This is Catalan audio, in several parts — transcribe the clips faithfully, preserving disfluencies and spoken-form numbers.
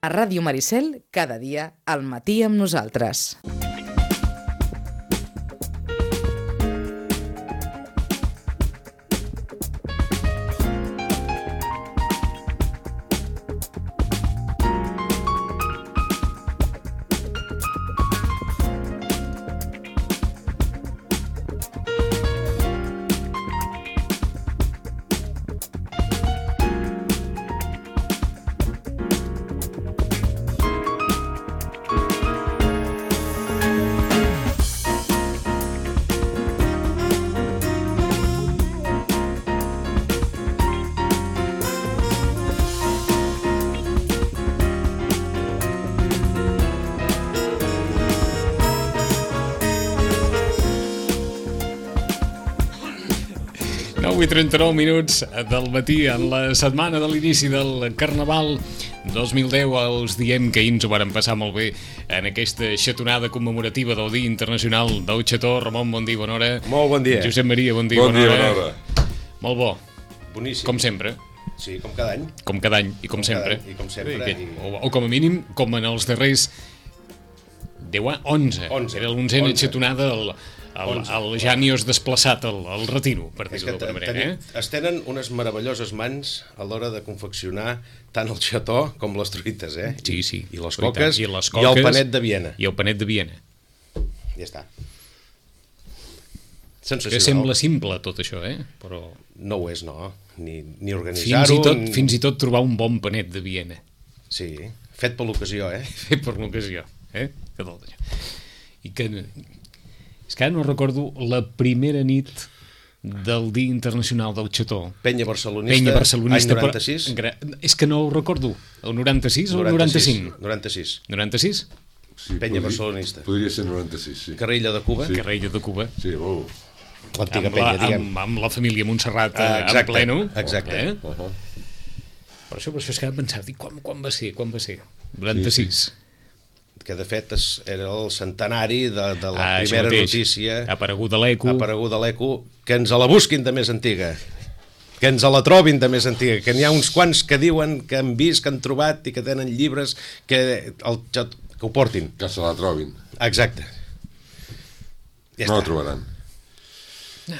A Ràdio Maricel, cada dia al matí amb nosaltres. nou i trenta-nou minuts del matí en la setmana de l'inici del Carnaval dos mil deu. Els diem que ahir ens ho vàrem passar molt bé en aquesta xatonada commemorativa del Dia Internacional del Xató. Ramon, bon dia, bona hora. Molt bon dia. Josep Maria, bon dia, bon bona, dia, hora. bona hora. Molt bo. Boníssim. Com sempre. Sí, com cada any. Com cada any i com, com sempre. I com sempre. I... O, o com a mínim, com en els darrers deu anys, onze. onze. Era l'onzena xatonada el... El, el Janios desplaçat al, al retiro, per dir-ho d'alguna manera. Eh? Es tenen unes meravelloses mans a l'hora de confeccionar tant el xató com les truites, eh? Sí, sí. I les coques, i, les coques, i el panet de Viena. I el panet de Viena. Ja està. Sensacional. Que sembla simple tot això, eh? Però... No ho és, no. Ni, ni organitzar-ho... Fins i, tot, ni... fins i tot trobar un bon panet de Viena. Sí, fet per l'ocasió, eh? Fet per l'ocasió, eh? Que tot això. I que... És que ara no recordo la primera nit del Dia Internacional del Xató. Penya Barcelonista, Penya Barcelonista any noranta-sis. Però, és que no ho recordo. El noranta-sis o el noranta-cinc? noranta-sis. noranta-sis? Sí, Penya podria, Barcelonista. Podria ser noranta-sis, sí. Carrilla de Cuba. Sí. Carrilla de Cuba. Sí, oh. L'antiga amb penya, la, diguem. Amb, amb la família Montserrat uh, exacte, en pleno. Exacte. Eh? Uh -huh. Per això, per això és que vam pensar, dic, quan, quan va ser? Quan va ser? noranta-sis. Sí, sí. Que de fet es, era el centenari de, de la ah, primera notícia apareguda a l'Eco apareguda a l'Eco, que ens la busquin de més antiga, que ens la trobin de més antiga, que n'hi ha uns quants que diuen que han vist, que han trobat i que tenen llibres que, el, que ho portin, que se la trobin. Exacte. Ja no està. la trobaran.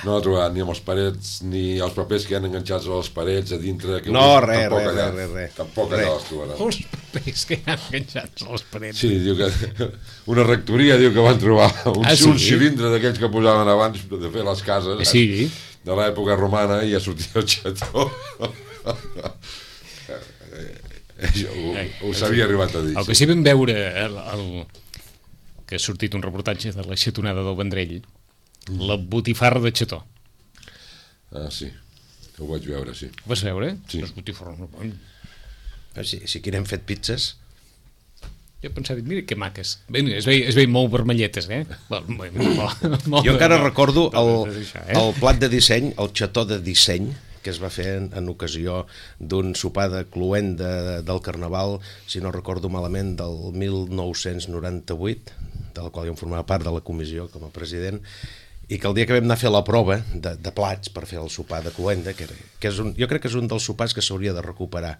No la trobaran ni amb els parets, ni els papers que han enganxats a les parets a dintre. Que no, us, res, res, res, res, res. Tampoc allà les trobaran. Els papers que han enganxats a les parets. Sí, diu que una rectoria diu que van trobar un, ah, sí? un cilindre d'aquells que posaven abans de fer les cases, sí. de l'època romana, i ja sortia el xató. ho, ho s'havia arribat a dir. El que sí vam veure el, el, que ha sortit un reportatge de la xatonada del Vendrell, mm. la botifarra de xató. Ah, sí, ho vaig veure, sí. Ho vas veure? Sí. Les botifarres no poden. Si, si aquí n'hem fet pizzas... Jo pensava, mira que maques. Bé, es veien, es veien molt vermelletes, eh? Molt, molt, molt, jo encara molt, recordo el, això, eh? el plat de disseny, el xató de disseny, que es va fer en, en ocasió d'un sopar de cluenda del Carnaval, si no recordo malament, del mil nou-cents noranta-vuit, de la qual jo em formava part de la comissió com a president, i que el dia que vam anar a fer la prova de, de plats per fer el sopar de cluenda, que, era, que és un, jo crec que és un dels sopars que s'hauria de recuperar,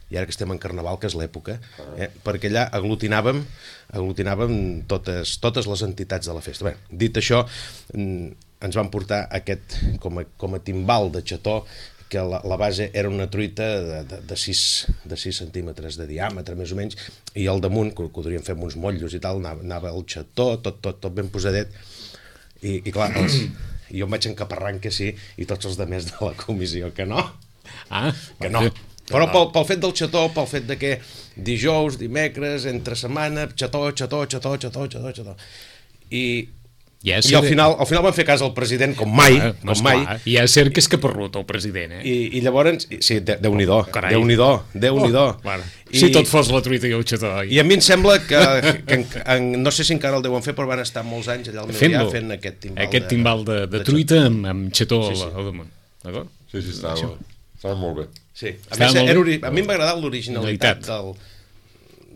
i ara que estem en Carnaval, que és l'època, eh, perquè allà aglutinàvem, aglutinàvem totes, totes les entitats de la festa. Bé, dit això, ens van portar aquest, com a, com a timbal de xató, que la, la base era una truita de, de, de, sis, de sis centímetres de diàmetre, més o menys, i al damunt, que, que ho podríem fer amb uns motllos i tal, anava, anava el xató, tot, tot, tot ben posadet, i, i clar, els, i jo em vaig encaparrant que sí, i tots els demés de la comissió que no, ah, que no. Però pel, pel fet del xató, pel fet de que dijous, dimecres, entre setmana, xató, xató, xató, xató, xató, xató. I, ja i al final al final van fer cas al president com mai, ah, com mai. I ja ser que és caparrut el president, eh? I, i llavors, sí, Déu-n'hi-do, oh, Déu-n'hi-do, Déu-n'hi-do. Oh, bueno. Si tot fos la truita i el xató. I a mi em sembla que, que en, en, no sé si encara el deuen fer, però van estar molts anys allà al meu dia fent aquest timbal, aquest timbal de, de, de, de truita amb, amb xató sí, sí. al damunt. D'acord? Sí, sí, estava, estava molt bé. Sí, a, més, era, a mi em va agradar l'originalitat del,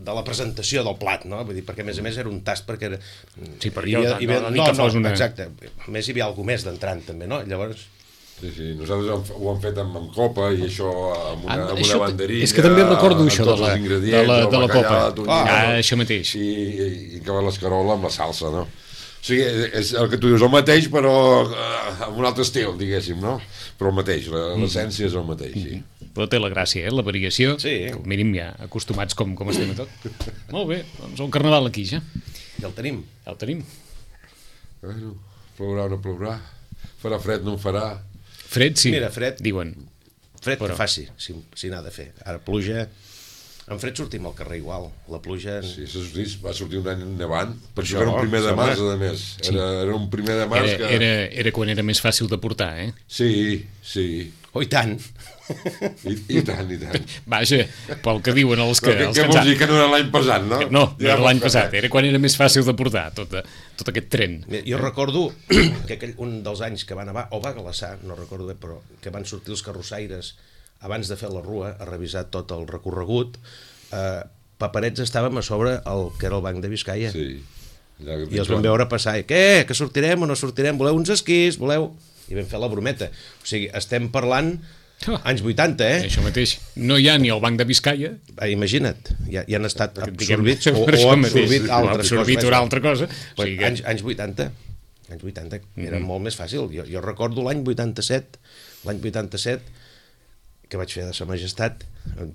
de la presentació del plat, no? Vull dir, perquè a més a més era un tast, perquè era... Sí, per jo, hi, no, hi, no, no, no, no, una... exacte, a més hi havia alguna més d'entrant també, no? Llavors... Sí, sí, nosaltres ho hem fet amb, amb copa i això amb una, Ah, amb això, una banderilla. és que també recordo això de tots la, els ingredients, de la, el de la bacallà, copa. la tonyina, Ah, això mateix. I, i, i que va l'escarola amb la salsa, no? O sigui, és el que tu dius, el mateix, però eh, amb un altre estil, diguéssim, no? Però el mateix, l'essència és el mateix, sí. Però té la gràcia, eh? La variació. Sí. Que, al mínim ja acostumats com, com estem a tot. Molt bé, doncs el carnaval aquí ja. Ja el tenim. Ja el tenim. Bueno, plourà o no plourà, farà fred, no en farà. Fred, sí. Mira, fred. Diuen. Fred Però- que faci, si, si n'ha de fer. Ara pluja, en fred sortim al carrer igual. La pluja... Sí, se sortís, va sortir un any nevant, per Això, això era un primer de home. març, a més. Era, era un primer de març Era, que... era, era quan era més fàcil de portar, eh? Sí, sí, Oh, i tant! i, i tant, i tant. Vaja, pel que diuen els que... Però què, els què que ens vols han- dir, que no era l'any passat, no? No, no Ja era l'any vols passat, fer era quan era més fàcil de portar tot, tot aquest tren. Jo recordo que aquell, un dels anys que va nevar, o va glaçar, no recordo bé, però que van sortir els carrossaires abans de fer la rua a revisar tot el recorregut. Eh, paperets estàvem a sobre el que era el Banc de Biscaia. Sí. Ja, I els vam veure passar, i què, que sortirem o no sortirem, voleu uns esquís, voleu... I vam fer la brometa. O sigui, estem parlant Oh. anys vuitanta, eh? Això mateix. No hi ha ni el Banc de Biscaia. Ah, imagina't, ja, ja han estat Diguem, absorbits o, per o això mateix. absorbit altres Absorbit coses. una altra cosa. Pues, O sigui que- anys, anys vuitanta, anys vuitanta, era Mhm. molt més fàcil. Jo, jo recordo l'any vuitanta-set, l'any vuitanta-set, que vaig fer de Sa Majestat,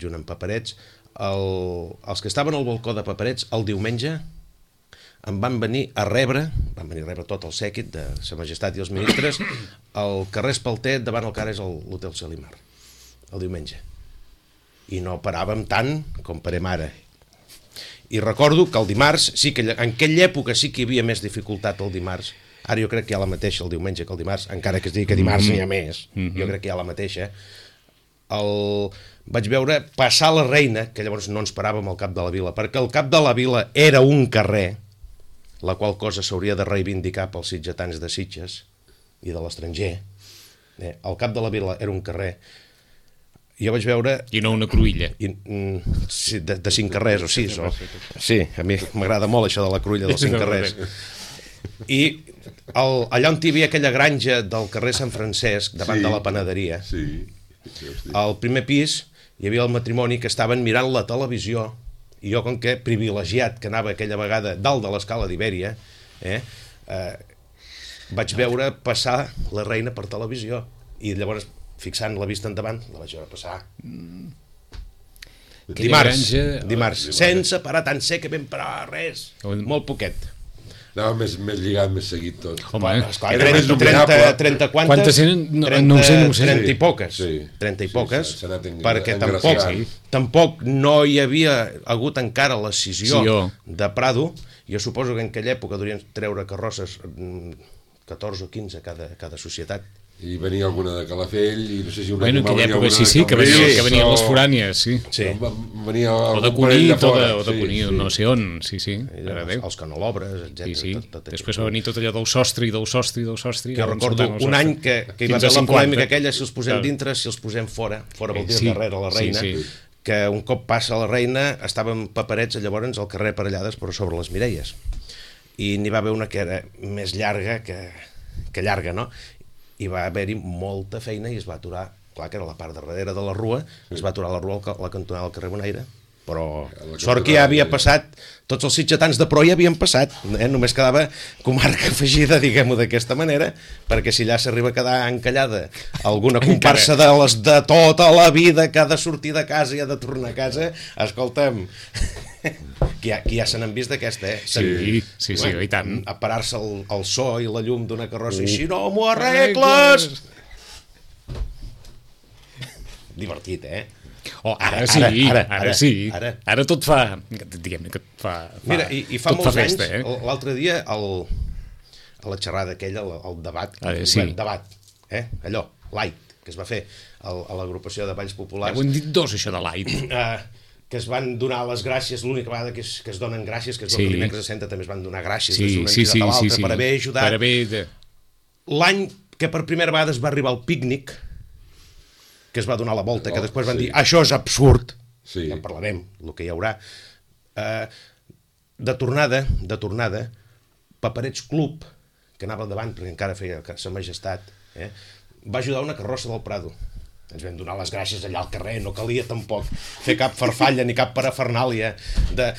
junt amb Paperets, el, els que estaven al balcó de Paperets, el diumenge, em van venir a rebre, van venir a rebre tot el sèquit de Sa Majestat i els ministres, al carrer Espalter, davant el que ara és el- l'Hotel Salimar, el diumenge. I no paràvem tant com parem ara. I recordo que el dimarts, sí que en aquella època sí que hi havia més dificultat el dimarts. Ara jo crec que hi ha la mateixa el diumenge que el dimarts, encara que es digui que dimarts n'hi ha més. Jo crec que hi ha la mateixa. El... Vaig veure passar la Reina, que llavors no ens paràvem al cap de la vila, perquè el cap de la vila era un carrer, la qual cosa s'hauria de reivindicar pels sitgetans de Sitges i de l'estranger. Eh, el cap de la vila era un carrer. Jo vaig veure I no una cruïlla. i, mm, sí, de, de cinc carrers o sis o... sí, a mi m'agrada molt això de la cruïlla dels cinc carrers i el, allà on hi havia aquella granja del carrer Sant Francesc davant Sí. de la panaderia, Sí, sí, hosti. al primer pis hi havia el matrimoni que estaven mirant la televisió i jo, com que privilegiat que anava aquella vegada dalt de l'escala d'Ibèria, eh, eh, vaig veure passar la Reina per televisió i llavors fixant la vista endavant la vaig veure passar Aquella dimarts, granja- dimarts, sense parar tan sé que vam parar res, molt poquet. Anava més, més lligat, més seguit tot. Home, eh? Esclar, Era més trenta, trenta, dominable. trenta quantes? Quantes eren? No, trenta, no ho sé, no ho sé. trenta i Sí, poques. sí. trenta i Sí, poques, s'ha- s'ha anat en- perquè tampoc, engraciant. tampoc no hi havia hagut encara la scissió Sí, jo. de Prado. Jo suposo que en aquella època durien treure carrosses mm, catorze o quinze cada, cada societat. I venia alguna de Calafell, i no sé si una Bueno, en va aquella venir època alguna sí, de sí, que venien, Cambrils, que venien o- les forànies, sí. Sí. Va- Venia O de algun parell Cunit, o de, fora, o de sí, Cunit, sí. no sé on, sí, sí, mare de Els, Déu. els canolobres, etcètera. Sí, sí. Tot, tot Després va venir tot allò del sostre i del sostre i del sostre. Que jo recordo un any que, que hi va Fins a haver la cinquanta. polèmica aquella, si els posem Clar. dintre, si els posem fora. Fora vol dir Sí, darrere la sí, Reina. sí. Que un cop passa la Reina, estàvem paperets llavors al carrer Parellades, però sobre les Mireies. I n'hi va haver una que era més llarga que, que llarga, no? I va haver-hi molta feina i es va aturar, clar que era la part de darrere de la rua, es va aturar la rua a la cantonada del carrer Bonaire, però la sort que ja havia cantonada, passat, tots els sitgetans de pro ja havien passat, eh? Només quedava comarca afegida, diguem-ho d'aquesta manera, perquè si allà s'arriba a quedar encallada alguna comparsa de les de tota la vida que ha de sortir de casa i ha de tornar a casa, escolta'm, que ja, que ja se n'han vist d'aquesta, eh? Sí, sí, sí, i tant. A parar-se el, el so i la llum d'una carrossa i si no m'ho arregles... Divertit, eh? Oh, ara, Ara, sí, ara, ara, ara, ara, sí. ara. Ara tot fa, diguem-ne que fa, fa, Mira, i, i fa tot molts fa festa, anys, eh? l'altre dia, el, a la xerrada aquella, el, el debat, Ah, el, sí. bueno, debat, eh? allò, light, que es va fer el, a l'agrupació de Balls Ja Populars, ho hem dit dos, això de light. eh, que es van donar les gràcies, l'única vegada que es, que es donen gràcies, que es Sí. sí. dimecres de Senta també es van donar gràcies Sí, des d'una sí, entitat sí, a l'altra sí, sí. per haver ajudat. Per haver... De... L'any que per primera vegada es va arribar al pícnic, que es va donar la volta, que Oh, després van sí. dir, això és absurd, Sí. ja en parlarem, el que hi haurà. Eh, de tornada, de tornada, Paperets Club, que anava al davant perquè encara feia Sa Majestat, eh? va ajudar una carrossa del Prado. Ens vam donar les gràcies allà al carrer, no calia tampoc fer cap farfalla ni cap parafernàlia de...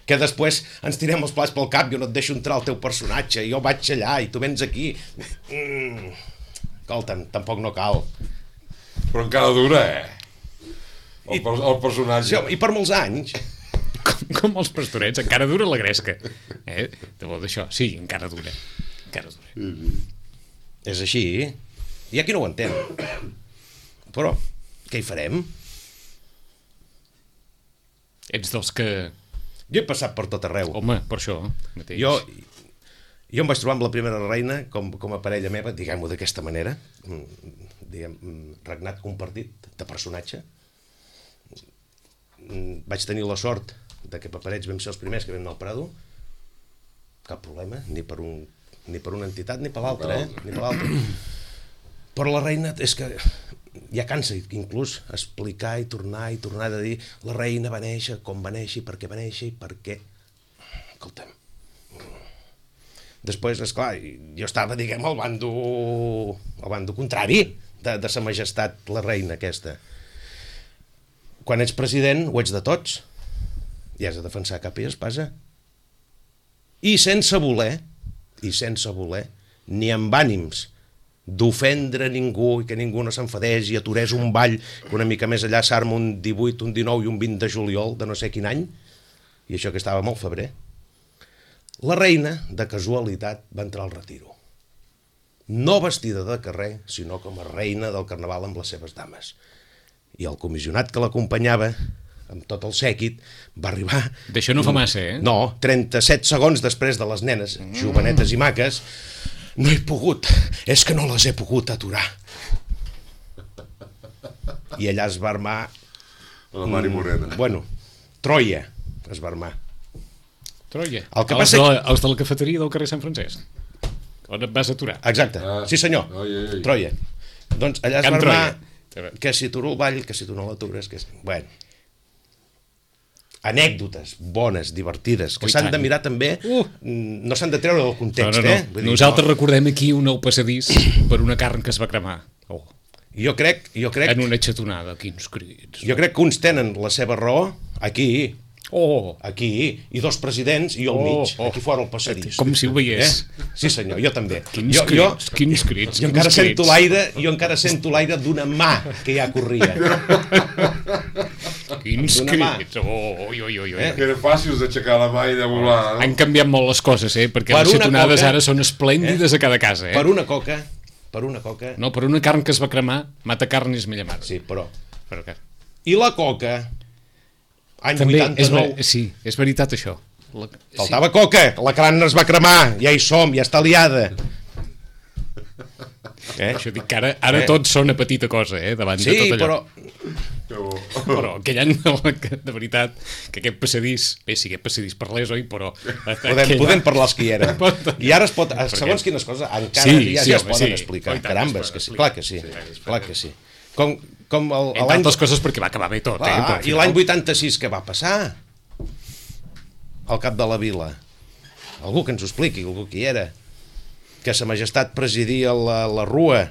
que després ens tirem els plats pel cap, jo no et deixo entrar el teu personatge, jo vaig allà i tu vens aquí. Mm. Escolta'm, tampoc no cal. Però encara dura, eh? El, I, el personatge. sí, I per molts anys. Com, com els pastorets, encara dura la gresca. Eh? De bo d'això, sí, encara dura. Encara dura. Sí, sí. És així. Hi ha qui no ho entén. Però, què hi farem? Ets dels que... Jo he passat per tot arreu. Home, per això mateix. Jo, jo em vaig trobar amb la primera reina com, com a parella meva, diguem-ho d'aquesta manera, diguem, regnat compartit de personatge. Vaig tenir la sort de que paperets vam ser els primers que vam anar al Prado. Cap problema, ni per, un, ni per una entitat ni per l'altra, eh? Ni per l'altra. Però la reina és que ja cansa inclús explicar i tornar i tornar de dir la reina va néixer, com va néixer, per què va néixer i per què. Escolta'm. Després, esclar, jo estava, diguem, al bando, al bando contrari de, de sa majestat, la reina aquesta. Quan ets president ho ets de tots i has de defensar capa i espasa. I sense voler, i sense voler, ni amb ànims d'ofendre ningú i que ningú no s'enfadés i aturés un ball que una mica més allà s'arma un divuit, un dinou i un vint de juliol de no sé quin any, i això que estava molt febrer. La reina, de casualitat, va entrar al retiro. No vestida de carrer, sinó com a reina del carnaval amb les seves dames. I el comissionat que l'acompanyava, amb tot el sèquit, va arribar... D'això no fa massa, eh? No, trenta-set segons després de les nenes, mm. jovenetes i maques. No he pogut, és que no les he pogut aturar. I allà es va armar... La Mari Morena. Bueno, Troia es va armar. Troia. El que els, passa... de, els de la cafeteria del carrer Sant Francesc. On et vas aturar? Exacte, Ah. sí senyor, Ai, ai, ai. Troia. Doncs allà es Can va armar Troia. que si aturo el ball, que si tu no l'atures, que... Bueno, anècdotes bones, divertides, que Oh, s'han tant. de mirar també, Uh. no s'han de treure del context, no, no, no. eh? Vull dir, Nosaltres no. recordem aquí un nou passadís per una carn que es va cremar. Oh, Jo crec, jo crec, en una xatonada, quins crits. jo crec que uns tenen la seva raó aquí, Oh, aquí, i dos presidents, i jo al Oh, mig, oh. aquí fora el passadís. com si ho veiés. Eh? Sí senyor, jo també. Quins jo, jo, crits, quins crits. jo quins encara crits. sento l'aire, jo encara sento l'aire d'una mà que ja corria. Quins d'una mà. crits. Oh, oi, oi, oi, oi. Eh? Que eren fàcils d'aixecar la mà i de volar, no? Han canviat molt les coses, eh? Perquè Per les una xatonades coca, ara són esplèndides a cada casa, eh? Per una coca, per una coca, No, per una carn que es va cremar, mata carn és mella mar. sí, però... Però que... I la coca, any També és, vuitanta-nou, ver... sí, és veritat això. La... faltava coca, la crana es va cremar, ja hi som, ja està liada. Eh? Això dic que ara, ara Eh? tots són a petita cosa, eh? Davant Sí, de tot allò. però... Que bo. Però aquell any, de veritat, que aquest passadís, bé, sí, aquest passadís parlés, oi, però... Podem, aquell- podem parlar els que hi eren. Pot- I ara es pot, segons Perquè- quines coses, encara Sí, ja, sí, ja es home, poden sí. explicar. Oh, i tant, Carambes, es que poden sí, explicar. clar que sí, Sí, es clar poden. que sí. Com, com el, Entre l'any... altres coses perquè va acabar bé tot, eh? Clar, Però al I final- l'any vuitanta-sis què va passar? Al cap de la vila. Algú que ens ho expliqui, algú qui era. Que sa majestat presidia la, la rua.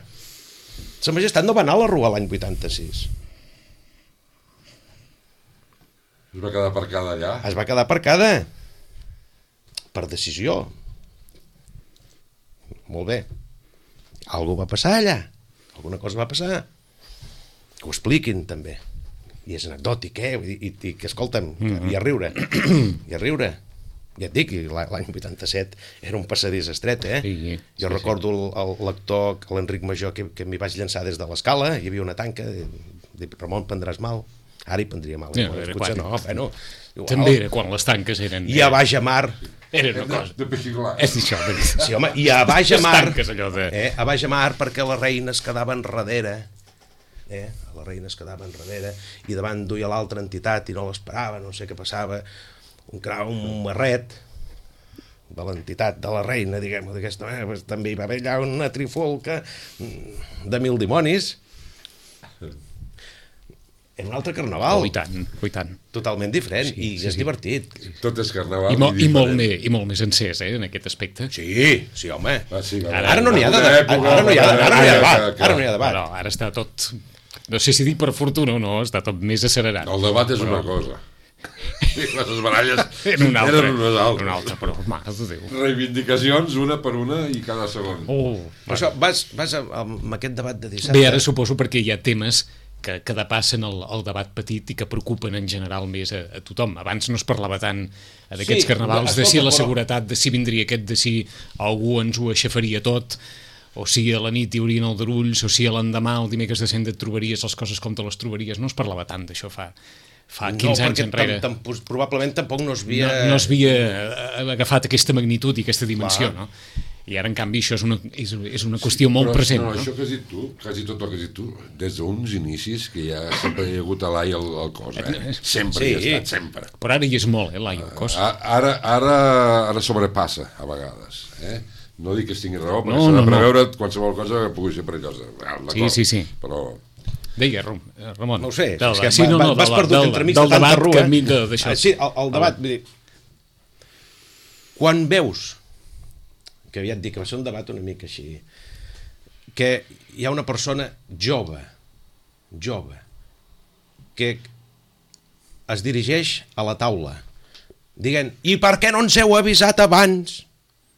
Sa majestat no va anar a la rua l'any vuitanta-sis. Es va quedar aparcada allà. Es va quedar aparcada. Per decisió. Molt bé. Algú va passar allà. Alguna cosa va passar. Que ho expliquin, també. I és anecdòtic, eh? Vull dir, i, i que, escolta'm, mm-hmm. i a riure. I a riure. Ja et dic, l'any vuitanta-set era un passadís estret, eh? Sí, sí, jo sí, recordo el, el lector, l'Enric Major, que, que m'hi vaig llançar des de l'escala, hi havia una tanca, dic, Ramon, prendràs mal? Ara hi prendria mal. Ja, No, era potser quan- no, bueno, igual. També era quan les tanques eren... I a baix a mar, Era una cosa... De peixiglar. És això, veritat. sí, home, i a baix a Les mar, tanques, allò de... eh, a baix a mar perquè la reina es quedava enrere, eh, la reina es quedava enrere, i davant duia l'altra entitat i no l'esperava, no sé què passava, un crau, un marret, de l'entitat de la reina, diguem-ho d'aquesta manera, pues, també hi va haver allà una trifulca de mil dimonis. era un altre carnaval. Oh, i tant, oh, i tant. Totalment diferent, Sí, i sí, és sí. divertit. Tot és carnaval I, mo i, molt diferent. més, I molt més encès, eh, en aquest aspecte. Sí, sí, home. Ah, sí, Ara- Ara no n'hi ha de Una debat. època, Ara no hi ha una ara no hi ha època debat. que- Ara no hi ha debat. Però ara està tot... No sé si dir per fortuna o no, està tot més accelerat. El debat és una cosa. I les baralles Era una altra, eren unes altres. una altra, però, mare de Déu. Reivindicacions, una per una i cada segon. Oh, Per això, vas, vas amb amb aquest debat de dissabte... bé, ara suposo perquè hi ha temes que, que depassen el, el debat petit i que preocupen en general més a, a tothom. Abans no es parlava tant d'aquests Sí, carnavals, de si escolta, la però- seguretat, de si vindria aquest, de si algú ens ho aixafaria tot, o si a la nit hi haurien aldarulls, o si a l'endemà, el dimecres de cent et trobaries les coses com te les trobaries. No es parlava tant d'això fa, fa quinze no, anys enrere. tam, tam, probablement tampoc no es havia... No, no es havia eh, agafat aquesta magnitud i aquesta dimensió, no? I ara, en canvi, això és una, és, és una qüestió molt Però, present, no, no? això que has dit tu, quasi tot el que has dit tu, des d'uns inicis que ja sempre hi ha hagut a l'ai el, el cos, eh? Sempre Sí. hi ha estat, sempre. Però ara hi és molt, eh, l'ai, el cos. A- Ara, ara, ara sobrepassa, a vegades, eh? No dic que es tingui raó, perquè No, s'ha no, de no. preveure qualsevol cosa que pugui ser perillosa. Ah, Sí, d'acord, sí, sí. Però Deia, Ram- eh, Ramon. No ho sé, del, és que sí, no, no, vas del, perdut del, entremig del de tanta debat rua. que enmig de- d'això. Ah, sí, el, el debat, vull dir, quan veus, que aviat dic que va ser un debat una mica així, que hi ha una persona jove, jove, que es dirigeix a la taula, dient, i per què no ens heu avisat abans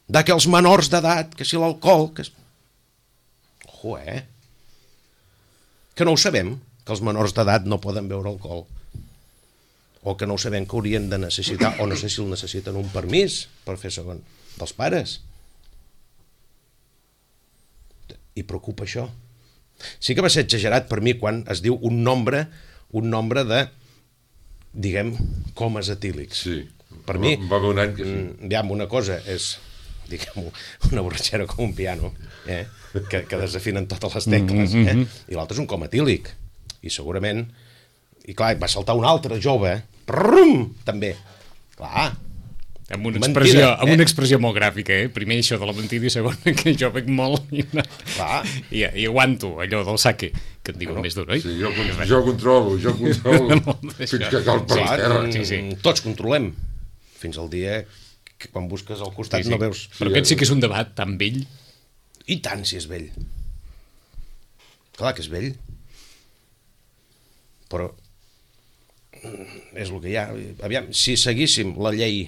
de que els menors d'edat, que si l'alcohol... Que... es- Ojo, eh? Que no ho sabem, que els menors d'edat no poden beure alcohol. O que no ho sabem, que haurien de necessitar, o no sé si el necessiten, un permís per fer segon, dels pares. I preocupa això. Sí que va ser exagerat per mi quan es diu un nombre, un nombre de, diguem, comes etílics. sí. Per mi, Va haver un any que sí. mm, diguem, una cosa és, diguem, una borratxera com un piano, eh? que, que desafinen totes les tecles, eh? I l'altre és un com etílic. I segurament, i clar, va saltar un altre jove, prum, també. Clar, Amb una, Mentida, expressió, eh? amb una expressió molt gràfica, eh? Primer això de la mentida i segon que jo bec molt i, no, Clar. i, i aguanto allò del saque, que et diuen Bueno, més dur, oi? Sí, jo, con- jo controlo, jo controlo, fins que cal per clar, terra. mm, sí, sí. tots controlem. Fins al dia que quan busques al costat Sí, sí. no veus... Però aquest sí que és un debat tan vell. I tant si és vell. Clar que és vell. Però mm, és el que hi ha. Aviam, si seguíssim la llei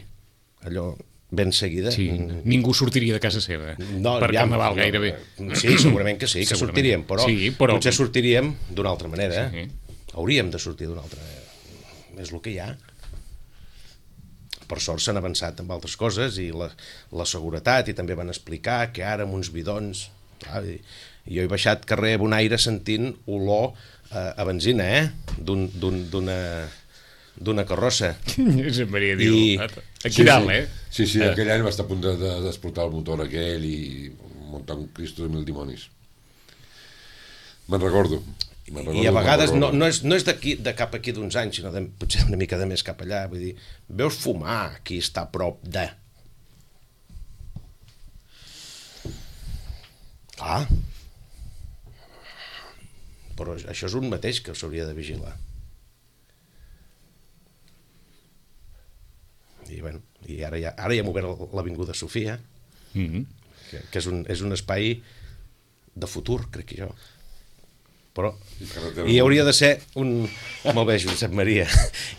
allò ben seguida... Sí, mm, ningú sortiria de casa seva no, per aviam, carnaval no, gairebé. Sí, segurament que sí, que Segurament. sortiríem, però, Sí, però- potser sortiríem d'una altra manera. Sí. Hauríem de sortir d'una altra manera. És el que hi ha. Per sort s'han avançat amb altres coses i la, la seguretat, i també van explicar que ara amb uns bidons... Clar, i, i jo he baixat carrer a Bonaire sentint olor a, a benzina, eh? D'un, d'un, d'una d'una carrossa. Josep Maria diu, I- aquí Sí, dalt, sí. eh? Sí, sí, Eh. aquell any va estar a punt de- de- d'explotar el motor aquell i muntar un Cristo de mil dimonis. Me'n recordo. Me'n recordo, I a me'n vegades no, recordo. no és, no és d'aquí, de cap aquí d'uns anys, sinó de, potser una mica de més cap allà. Vull dir, veus fumar qui està a prop de... Clar. Però això és un mateix que s'hauria de vigilar. I, bueno, i ara ja, ara ja hem obert l'Avinguda Sofia, Mhm. que, que és, un, és un espai de futur, crec que jo. Però carretera i hauria de ser un... Molt bé, Josep Maria.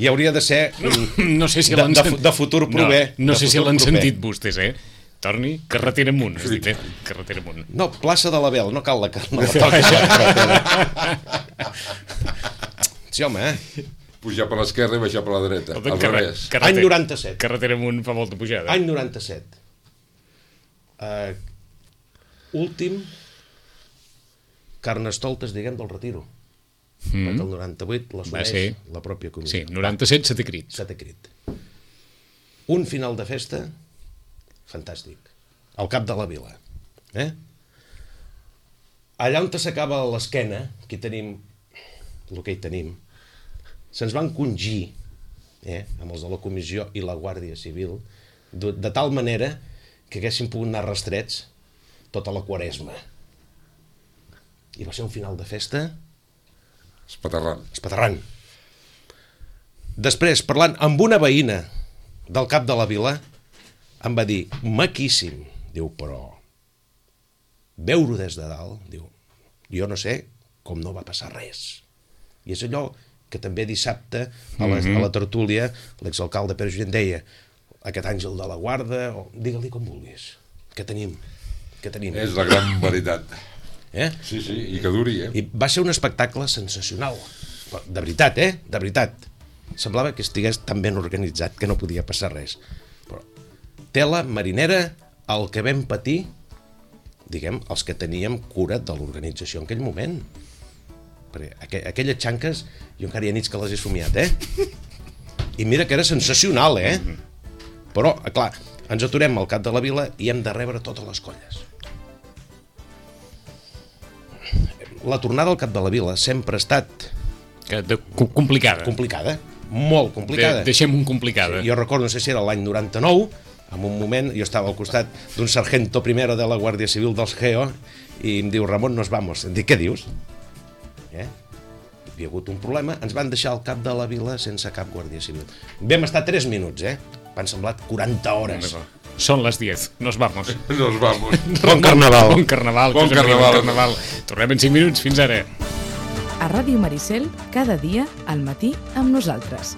I hauria de ser un... No sé si de, l'han de, sen- fu- de futur prové. No, no de sé si futur l'han proper. sentit vostès, eh? Torni, carretera amunt, has dit, eh? Carretera amunt. No, plaça de l'Abel, no cal la, no la toquis la carretera. Sí, home, eh? Pujar per l'esquerra i baixar per la dreta, Escolta, al carre- revés. carretera- Any noranta-set. Carretera amunt fa molta pujada. Any noranta-set. Uh, últim Carnestoltes, diguem, del Retiro. Mm. Perquè el noranta-vuit l'assumeix ser. la pròpia comissió. Sí, noranta-set se té crit. Setè crit. Un final de festa fantàstic. Al cap de la vila. Eh? Allà on s'acaba l'esquena, aquí tenim el que hi tenim, se'ns van congir, eh, amb els de la comissió i la Guàrdia Civil, de, de tal manera que haguessin pogut anar rastrets tota la quaresma. I va ser un final de festa Espaterrant. espaterrant. Després, parlant amb una veïna del cap de la vila, em va dir, maquíssim. Diu, però veure-ho des de dalt, diu, jo no sé com no va passar res. I és allò que també dissabte a la, a la tertúlia l'exalcalde Pere Junyent deia, aquest àngel de la guarda, o digue-li com vulguis. Què tenim? Què tenim? És la gran veritat. Eh? Sí, sí, i que duri, eh? I va ser un espectacle sensacional. De veritat, eh? De veritat. Semblava que estigués tan ben organitzat que no podia passar res. Però tela marinera, el que vam patir, diguem, els que teníem cura de l'organització en aquell moment. Perquè aqu aquelles xanques, jo encara hi ha nits que les he somiat, eh? I mira que era sensacional, eh? Però, clar, ens aturem al cap de la vila i hem de rebre totes les colles. La tornada al cap de la vila sempre ha estat... Que de, complicada. Complicada, molt complicada. De, deixem un complicada. Sí, jo recordo, no sé si era l'any noranta-nou, en un moment, jo estava al costat d'un sargento primero de la Guàrdia Civil dels Geo i em diu, Ramon, nos vamos. Em dic, què dius? Eh? Hi havia hagut un problema, ens van deixar al cap de la vila sense cap Guàrdia Civil. Vam estar tres minuts, eh? Van semblat quaranta hores. Són les diez, nos vamos. Nos vamos. Bon carnaval. Bon carnaval. Bon carnaval. Bon carnaval. Tornem en cinc minuts, fins ara. A Ràdio Maricel, cada dia, al matí, amb nosaltres.